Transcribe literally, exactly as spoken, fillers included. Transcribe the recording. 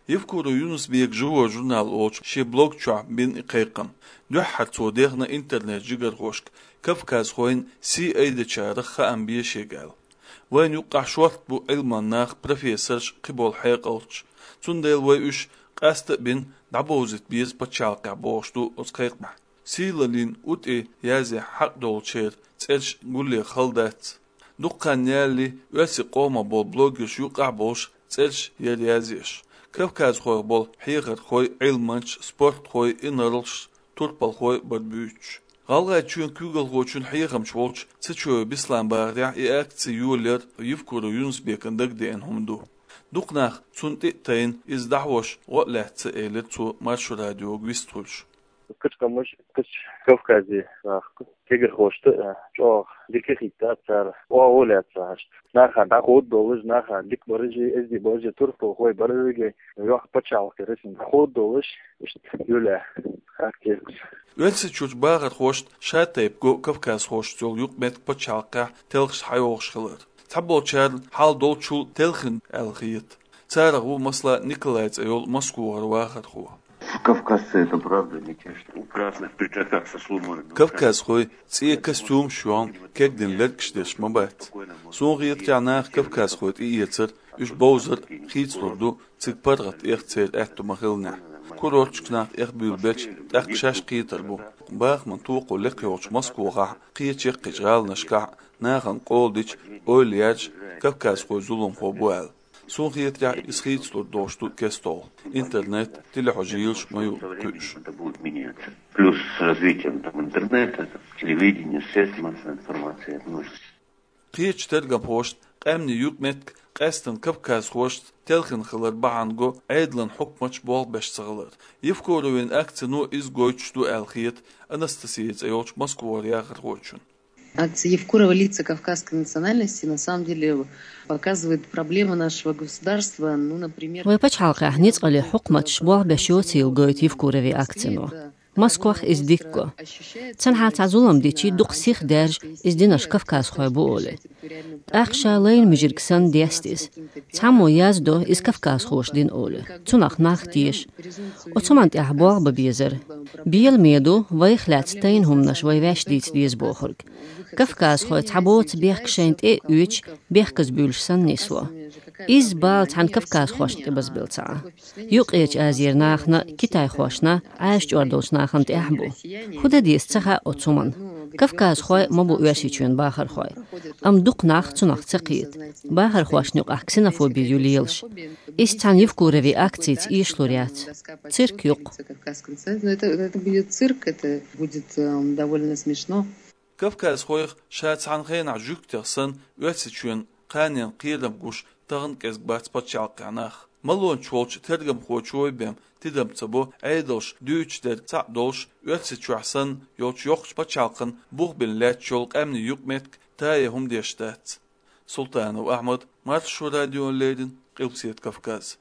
Евкуров Юнус-Бека «Живой журнал» олучу шен блог чохь бина и кхайкхам. Дуьххьара цо дехна интернет-жигархошка, кавказхойн сий айдечарах хаам бе шега аьлла. Вайна юккъахь шорта бу Ӏилман нах, профессорш, кхиболу хьекъалчаш. Цундела вай уьш къаста а бина, дӀабовзийта беза пачхьалкхехь, бохуш ду оцу кхайкхамехь. Сийлаллин у тӀе язъян хьакъ долчеран цӀераш гулъян хала дац. Дукха хан ялале, оьрсийн къомах болу блогерш юккъахь а болуш цӀераш яра язъеш. Кавказхойх болу хьехархой, Ӏилманчаш, спортхой, инарлаш, турпалхой бара буьйцуш. ГӀалгӀайчоьнан куьйгалхочун хьехамча волчу Цечоев Беслан бахарехь, и акци йолаяр Евкуров Юнус-Бекана дагадеана хӀума ду. Дукха нах цунна тӀе а тайна, иза дӀахьош гӀо а лаьцна, элира цо Маршо радиога вистхуьлуш. Кхечу къаьмнаш, кхечу Кавказе нах, кегархошна а чӀогӀа дика хӀиттац цара, оха а лаьцна хьашт. Наха дӀахода долуш, наха дика баражий, эздий баражий, турпалхой, баражий, йоккха пачхьалкх яра иза, дӀахода долуш, иштта юьллехь, хаттийра. Оьрсийчуьрчу бахархошна шатайпа го кавказхошца йолу юкъаметтиг пачхьалкхехь телхаш схьайогӀуш хилар. Цхьаболчарна хьал долчул телхина аьлла хета. Царах ву, масала, Николай цӀе йолу Москвара вахархо. Кавказцы — это правда не те, что у красных пиджаках со сломанными руками. Кавказхой цӀе костюмаш йохна, кегдина лергаш деш ма бац. Суна хетарехь, наха кавказхой тӀеэцар, уьш бовзар хийцалур ду, цига паргӀат эха церан аьтто ма-хиллинехь. Курорташка нах эхбуьйлабелча, тӀаккха шаьш кхетар бу. Бахаман токхо лекха йолчу Москвахь, кхечу яккхийчу гӀаланашкахь нахана къола дича, ойла яржа, кавказхой зуламхо бу аьлла. Суна хетарехь, иза хийцалур долуш ду кестта. Интернет, телехьожа йийлаш ма ю кхуьуш. Плюс с развитием там интернета, там, телевидения, средств массовой информации, ну, Кхечу тергамхошна къаьмнийн юкъаметтиг къаьсттина кавказхошца телхина хилар бахьана го Ӏедалан хьукматаш болх беш ца хилар. Евкуровн акцино иза гойтуш ду аьлла хета Анастасия цӀе йолчу Москвара яхархочун. Акция Евкурова «Лица кавказской национальности» на самом деле показывает проблемы нашего государства, ну, например, Вай пачхьалкхехь ницкъаллин хьукматаш болх беш йоцийла гойту Евкуровн акцино. Москвахь иза дика го. Цхьанхьа цхьа зулам дичи, дукха сиха даьржа, иза динарш кавказхой бу олий. ТӀаккха ша лайна муьжирг санна деста иза. Цхьаммо яздо, иза кавказхоша дина олий. Цунах нах теша. Оцу хӀуманна тӀехь болх бан безара. Беламе ду, вайх лаьцна тайна хӀуманаш вай ваьш дийца деза бохург. Кавказхой цхьабоцца бехк шайна тӀе а оьцуш, бехказбуьйлуш санна нисло. Изза бала цхьана кавказхошна тӀебазбелла ца Ӏа. Юккъерчу Азера нахана, китайхошна, Ӏаьржа чӀор долчу нахана тӀехь а бу. ХӀун дан деза ца хаьа оцу хӀуманна. Кавказхой ма бу Оьрсийчоьнан бахархой. Амма дукха нах цунах ца кхета. Бахархошна юкъахь ксенофоби ю лелаш. Иза цхьана Евкуровн акцица эшалур яц. Цирк ю-кх. Кавказском центре. Ну, это, это будет цирк, это будет, эм, довольно смешно. Кавказхойх ша цхьана хенахь жуьгтех санна Оьрсийчоьнан кханенна кхерам гуш тахана кӀезиг бац пачхьалкхехь нах. Малонча волчу тергамхочо бен тидам ца бо, Ӏедалш дуьйцуш дерг цхьаъ долуш, Оьрсийчохь санна йолчу йоккхачу пачхьалкхана бух бина лаьтташ йолу къаьмнийн юкъаметтиг тае хӀума деш дац. Султанов Ахьмад, Маршо радиона леррина, Къилбаседа Кавказ.